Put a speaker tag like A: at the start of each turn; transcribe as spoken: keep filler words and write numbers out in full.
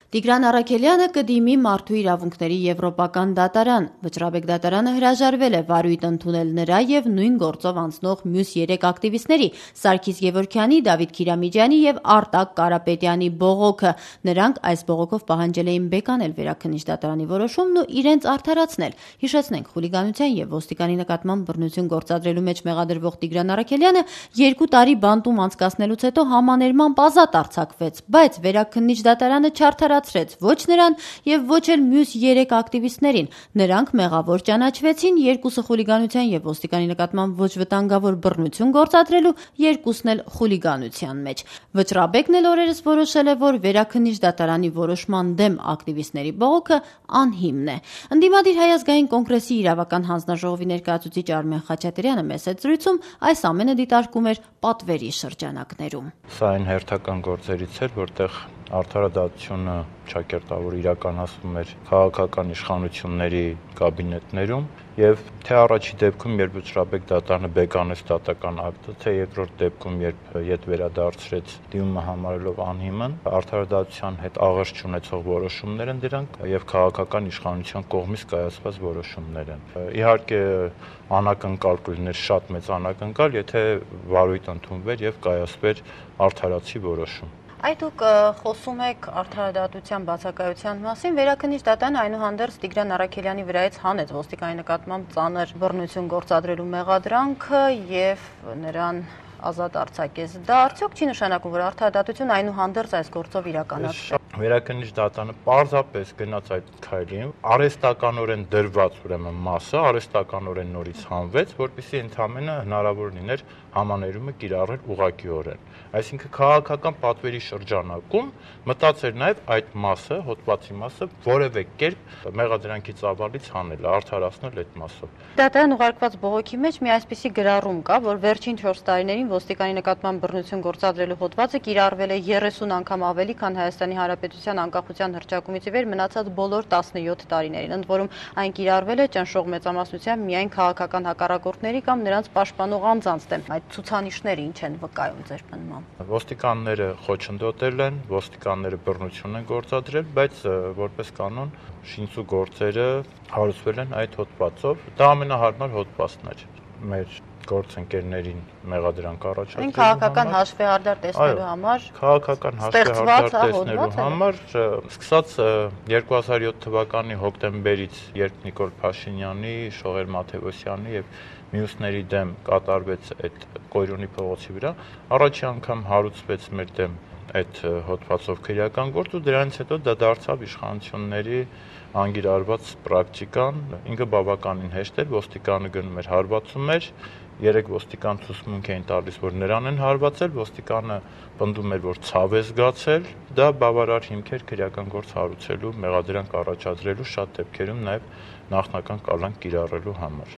A: Տիգրան Առաքելյանը կդիմի Մարդու իրավունքների եվրոպական դատարան։ Վճռաբեկ դատարանը հրաժարվել է վարույթ ընդունել նրա եւ նույն գործով անցնող մյուս երեք ակտիվիստների՝ Սարգիս Գևորգյանի, Դավիթ Քիրամիջյանի եւ Արտակ Կարապետյանի բողոքը։ Նրանք այս բողոքով պահանջել էին բեկանել Վերաքննիչ դատարանի որոշումն ու իրենց արդարացնել։ Հիշեցնենք, խուլիգանության եւ ոստիկանի նկատմամբ բռնություն գործադրելու մեջ մեղադրվող Տիգրան Առաքելյանը երկու տարի բանտում անցկացնելուց հետո համաներմամբ ազատ արձակվեց, բայց Վերաքննիչ դատարանը չարդարացրեց ոչ նրան եւ ոչ էլ մյուս երեք ակտիվիստներին։ Նրանք մեղավոր ճանաչվեցին, երկուսը խուլիգանության եւ ոստիկանի նկատմամբ ոչ վտանգավոր բռնություն գործադրելու, երկուսն էլ խուլիգանության մեջ։ Վճռաբեկն էլ օրերս որոշել է, որ Վերաքննիչ դատարանի որոշման դեմ ակտիվիստների բողոքը անհիմն է։ Ընդդիմադիր Հայ ազգային կոնգրեսի իրավական հանձնաժողովի ներկայացուցիչ Արմեն Խաչատրյանը մեծ զրույցում այս ամենը դիտարկում էր պատվերի շրջանակներում։
B: Սա այն հերթական գործերից էր, որտեղ արդարադատությունը ճակերտավոր իրականացվում էր քաղաքական իշխանությունների կաբինետներում եւ թե առաջի դեպքում, երբ Վճռաբեկ դատարանը բեկանեց դատական ակտը, թե երկրորդ դեպքում, երբ ետ վերադարձրեց դիմումը համարելով անհիմն, արդարադատության հետ աղերս չունեցող որոշումներ են դրանք եւ քաղաքական իշխանության կողմից կայացված որոշումներ են։ Իհարկե անակնկալ կլիներ, շատ մեծ անակնկալ, եթե վարույթ ընդունվեր եւ կայացվեր արդարացի որոշում։
A: Այդ դուք խոսում եք արդարադատության բացակայության մասին, Վերաքննիչ դատարանը այնուհանդերձ Տիգրան Առաքելյանի վրայից հանեց ոստիկանի նկատմամբ ծանր բռնություն գործադրելու մեղադրանքը եւ նրան ազատ արձակեց։ Դա արդյոք չի նշանակում, որ արդարադատությունը այնուհանդերձ այս գործով իրականացվի։
B: Վերաքննիչ դատարանը պարզապես գնաց այդ քայլին, արհեստականորեն դրված ուրեմն մասը արհեստականորեն նորից հանվեց, որպեսզի ընդամենը հնարավոր լիներ համաներումը կիրառել ուղղակիորեն։ Այսինքն քաղաքական պատվերի շրջանակում մտածեր նաև այդ մասը, հոդվածի մասը որևէ կերպ մեղադրանքի ծավալից հանել, արդարացնել այդ մասով։
A: Դատարան ուղարկված բողոքի մեջ մի այսպիսի գրառում կա, որ վերջին չորս տարիներին ոստիկանի նկատմամբ բռնություն գործադրելու հոդվածը կիրառվել է երեսուն անգամ ավելի, քան Հայաստանի Հանրապետության անկախության հռչակումից ի վեր մնացած բոլոր տասնյոթ տարիներին, ընդ որում այն կիրառվել է ճնշող մեծամասնությամբ միայն քաղաքական հակառակորդների կամ նրանց պաշտպանող անձանց դեմ։ Այդ ցուցանիշները ինչ են վկայում ձեր պնդմամբ։
B: Ոստիկանները խոչընդոտել են, ոստիկանները բռնություն են գործադրել, բայց որպես կանոն շինծու գործերը հարուցվել են այդ հոդվածով։ Դա ամենահարմար հոդվածն էր մեր գործընկերներին մեղադրանք առաջարկելու
A: քաղաքական հաշվեհարդար տեսնելու համար,
B: քաղաքական հաշվեհարդար տեսնելու համար, սկսած երկու հազար յոթ թվականի հոկտեմբերից, երբ Նիկոլ Փաշինյանի, Շողեր Մաթևոսյանի եւ մյուսների դեմ կատարվեց այդ Կոյրոնի փողոցի վրա, առաջի անգամ հարուցվեց մեր դեմ այդ հոդվածով քրեական գործ ու դրանից հետո դա դարձավ իշխանությունների անգիրարված պրակտիկան, ինքը բավականին հեշտ էր, ոստիկանը գնում էր հարվածում էր, երեք ոստիկան ցուցմունք էին տալիս, որ նրան են հարվածել, ոստիկանը պնդում էր, որ ցավ է զգացել, դա բավարար հիմք էր քրեական գործ հարուցելու, մեղադրանք առաջադրելու, շատ դեպքերում նաև նախնական կալանք կիրառելու համար։